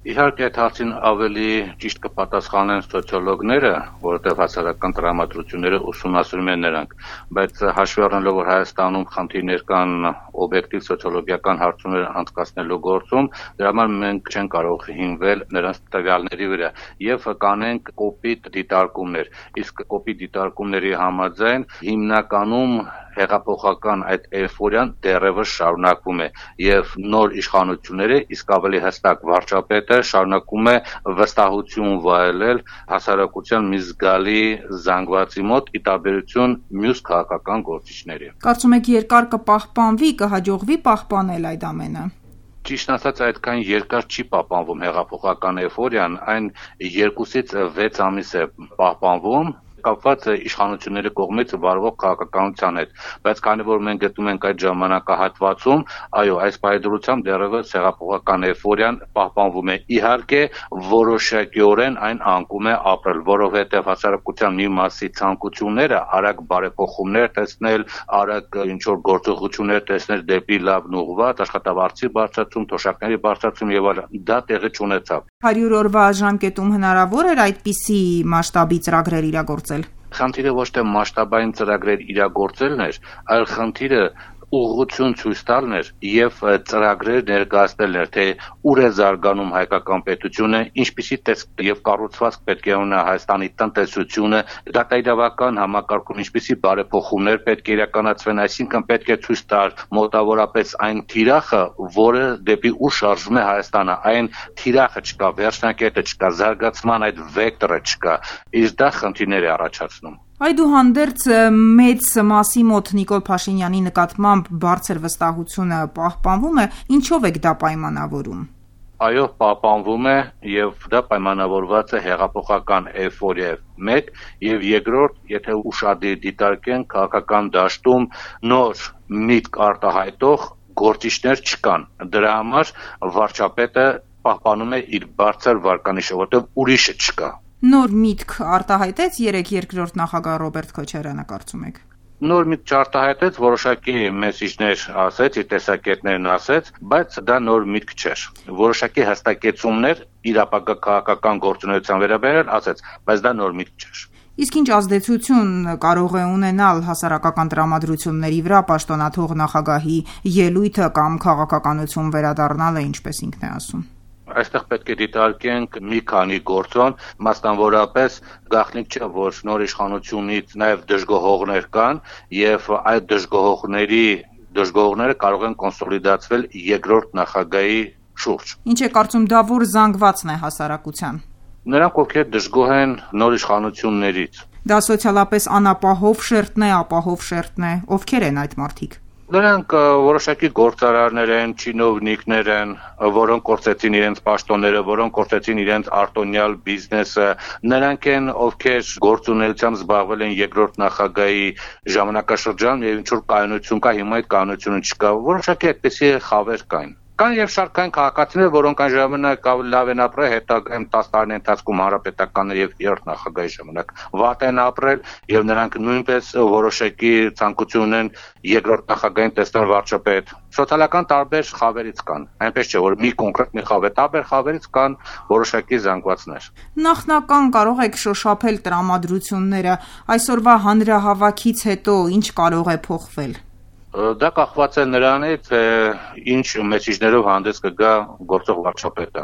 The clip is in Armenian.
Իհարկե այդ հարցին ավելի ճիշտ կպատասխանեն սոցիոլոգները, որովհետև հասարակական տրամադրությունները ուսումնասիրում են նրանք, բայց հաշվի առնելով, որ Հայաստանում խնդիրներ կան օբյեկտիվ սոցիոլոգիական հարցումներ անցկացնելու գործում, դրա համար մենք չենք կարող հիմնել նրանց տվյալների վրա եւ կանենք կոպիտ դիտարկումներ, իսկ կոպիտ դիտարկումների համաձայն հիմնականում հեղափոխական այդ էйֆորիան դեռևս շարունակվում է եւ նոր իշխանությունները, իսկ ավելի հստակ վարչապետը շարունակում է վստահություն վայելել հասարակության մի զգալի զանգվածի մոտ ի տարբերություն մյուս քաղաքական գործիչների։ Կարծում եք երկար կպահպանվի, կհաջողվի պահպանել այդ ամենը։ Ճիշտ ասած այդքան երկար չի պահպանվում հեղափոխական էйֆորիան, այն 2-ից 6 ամիս է պահպանվում կապված իշխանությունների կողմից վարվող քաղաքականության հետ, բայց քանի որ մենք գտնում ենք այդ ժամանակահատվածում, այո, այս պայմանությամբ դեռևս հեղափոխական էйֆորիան պահպանվում է։ Իհարկե, որոշակիորեն այն անկում է ապրել, որովհետև հասարակության մի մասի ցանկությունները արագ բարեփոխումներ տեսնել, արագ ինչ-որ գործողություններ տեսնել դեպի լավն ուղղված, աշխատավարձի բարձրացում, թոշակների բարձրացում եւ այլն, դա տեղի չունեցավ։ 100 օրվա ժամկետում հնարավոր էր այդպիսի մասշտաբի ծրագրեր իրագործել։ Խնդիրը ոչ թե մասշտաբային ծրագրեր իրագործելն էր, այլ խնդիրը ուղղություն ցույց տալն էր եւ ծրագրեր ներկայացնելն էր, թե ուր է զարգանում հայկական պետությունը, ինչպիսի տեսք եւ կառուցվածք պետք է ունենա Հայաստանի տնտեսությունը, դատաիրավական համակարգում ինչպիսի բարեփոխումներ պետք է իրականացվեն, այսինքն պետք է ցույց տալ մոտավորապես այն թիրախը, որը դեպի ուր շարժվում է Հայաստանը, այն թիրախը չկա, վերջնակետը չկա, զարգացման այդ վեկտորը չկա, իսկ դա խնդիրներ է առաջացնում։ Այդուհանդերձ մեծ մասի մոտ Նիկոլ Փաշինյանի նկատմամբ բարձր վստահությունը պահպանվում է, ինչով եք դա պայմանավորում։ Այո, պահպանվում է եւ դա պայմանավորված է հեղափոխական էйֆորիայով 1 եւ երկրորդ, եթե ուշադիր դիտարկենք քաղաքական դաշտում նոր միտք արտահայտող գործիչներ չկան։ Դրա համար վարչապետը պահպանում է իր բարձր վարկանիշը, որտեղ ուրիշը չկա։ Նոր միտք արտահայտեց երկրորդ նախագահ Ռոբերտ Քոչարյանը, կարծում եք։ Նոր միտք չարտահայտեց, որոշակի մեսիջներ ասեց, իր տեսակետներն ասեց, բայց դա նոր միտք չէր։ Որոշակի հստակեցումներ իր ապագա քաղաքական գործունեության վերաբերյալ ասեց, բայց դա նոր միտք չէր։ Իսկ ինչ ազդեցություն կարող է ունենալ հասարակական տրամադրությունների վրա պաշտոնաթող նախագահի ելույթը կամ քաղաքականություն վերադառնալը, ինչպես ինքն է ասում։ Այստեղ պետք է դիտարկենք մի քանի գործոն, մասնավորապես գաղտնիք չէ, որ նոր իշխանությունից նաև դժգոհողներ կան եւ այդ դժգոհողները կարող են կոնսոլիդացվել երկրորդ նախագահի շուրջ։ Ինչ է կարծում, դա որ զանգվածն է հասարակության։ Նրանք ովքեր դժգոհ են նոր իշխանություններից։ Դա սոցիալապես անապահով շերտն է, ապահով շերտն է, ովքեր են այդ մարդիկ։ Նրանք որոշակի գործարարներ են, չինովնիկներ են, որոնք կորցրեցին իրենց պաշտոնները, որոնք կորցրեցին իրենց արտոնյալ բիզնեսը, նրանք են, ովքեր գործունեությամբ զբաղվել են երկրորդ նախագահի ժամանակաշրջանում եւ ինչ որ կայունություն կա, հիմա այդ կայունությունը չկա, որոշակի այդպիսի խավեր կային։ Կան եւ շարքային քաղաքացիներ, որոնք այն ժամանակ լավ են ապրել, հետագայում 10 տարիների ընթացքում հանրապետականներ եւ երրորդ նախագահի ժամանակ վատ են ապրել եւ նրանք նույնպես որոշակի ցանկություն ունեն երկրորդ նախագահին տեսնել վարչապետ։ Սոցիալական տարբեր խավերից կան, այնպես չէ, որ մի կոնկրետ մի խավեր, տարբեր խավերից կան որոշակի զանգվածներ։ Նախնական կարող եք շոշափել տրամադրությունները, այսօրվա հանրահավաքից հետո ինչ կարող է փոխվել։ Դա կախված է նրանից, թե ինչ մեսիջներով հանդես կգա գործող վարչապետը։